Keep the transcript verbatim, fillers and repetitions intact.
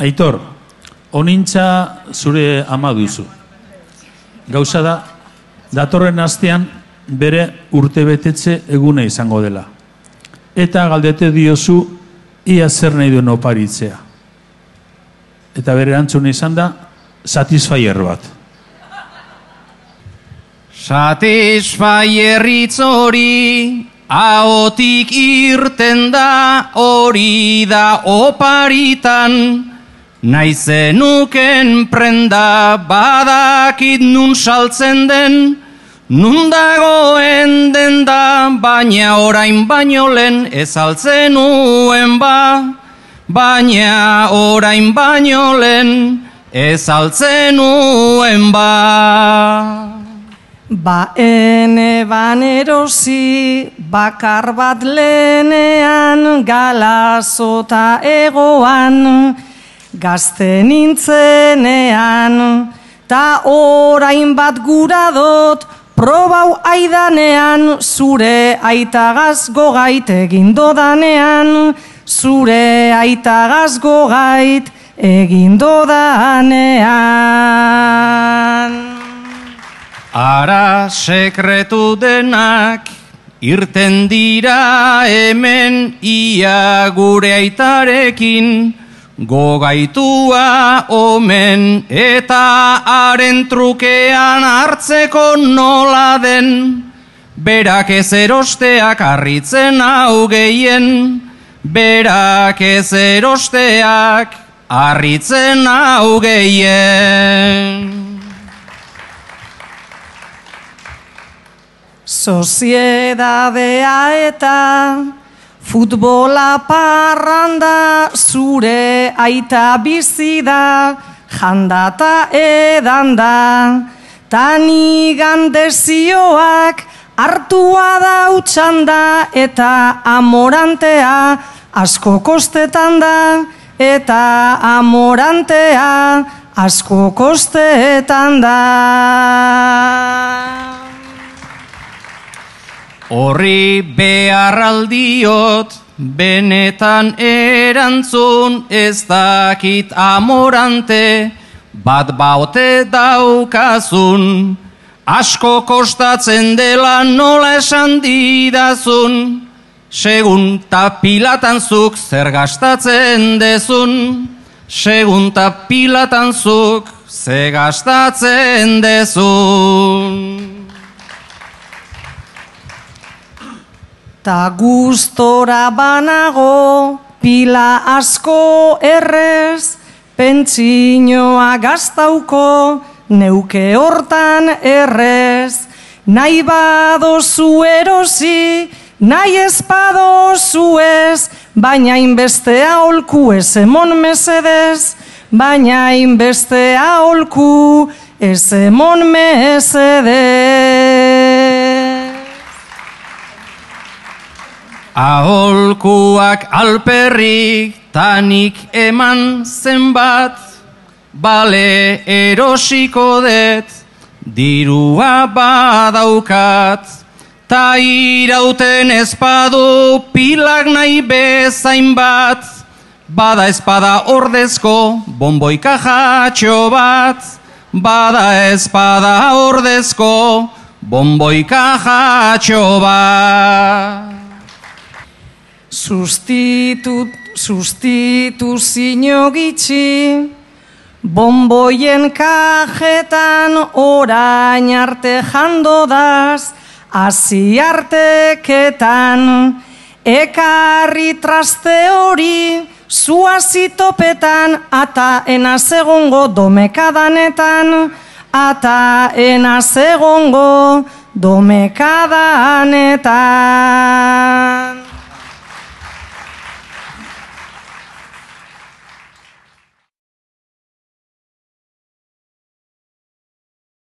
Aitor, onintza zure ama duzu. Gauza da, datorren astean bere urtebetetze eguna izango dela. Eta galdete diozu ia zer nahi duen oparitzea. Eta bere erantzuna izan da, satisfyer bat. Satisfyerritz hori, ahotik irten da, hori da oparitan. Naizenuken prenda badakit nun saltzen den, nun dagoen den da, baina orain baino lehen ez altzen nuen ba, baina orain baino lehen ez altzen nuen ba. Ba ene banerosi bakar bat lehenean galazota egoan, gazte nintzenean, ta orain bat gura dot, probau aidanean, zure aitagaz gogait egindodanean, zure aitagaz gogait egindodanean. Ara sekretu denak irten dira hemen ia gure aitarekin, gogaitua omen eta haren trukean hartzeko nola den, berak ez erosteak harritzen hau gehien, berak ez erosteak harritzen hau gehien. Soziedadea eta futbola parranda, zure aita bizi da, jandata edanda, tanigan dezioak hartua dautxanda, eta amorantea asko kostetan da, eta amorantea asko kostetan da. Horri beharraldiot, benetan erantzun, ez dakit amorante, bat baute daukazun, asko kostatzen dela nola esan didazun, segun tapilatan zuk zer gastatzen dezun, segun tapilatan zuk zer gastatzen dezun. Ta gustora banago, pila asko errez, pentsinoa gaztauko, neuke hortan errez. Nahi badozu erosi, nahi ez badozu ez, baina inbeste aholku ez emon mesedez, baina inbeste aholku ez emon mesedez. Aholkuak alperrik tanik eman zenbat, bale erosiko det, dirua badaukat, ta irauten ezpadu pilak nahi bezain bat, bada ezpada ordezko bonboika jatxo bat, bada ezpada ordezko bonboika jatxo bat. Sustitu, sustituzio gitxi, bonboien kajetan orain arte jando daz, hasi arteketan, ekarri traste hori, zuazi topetan, ata enaz egongo domekadanetan, ata enaz egongo domekadanetan.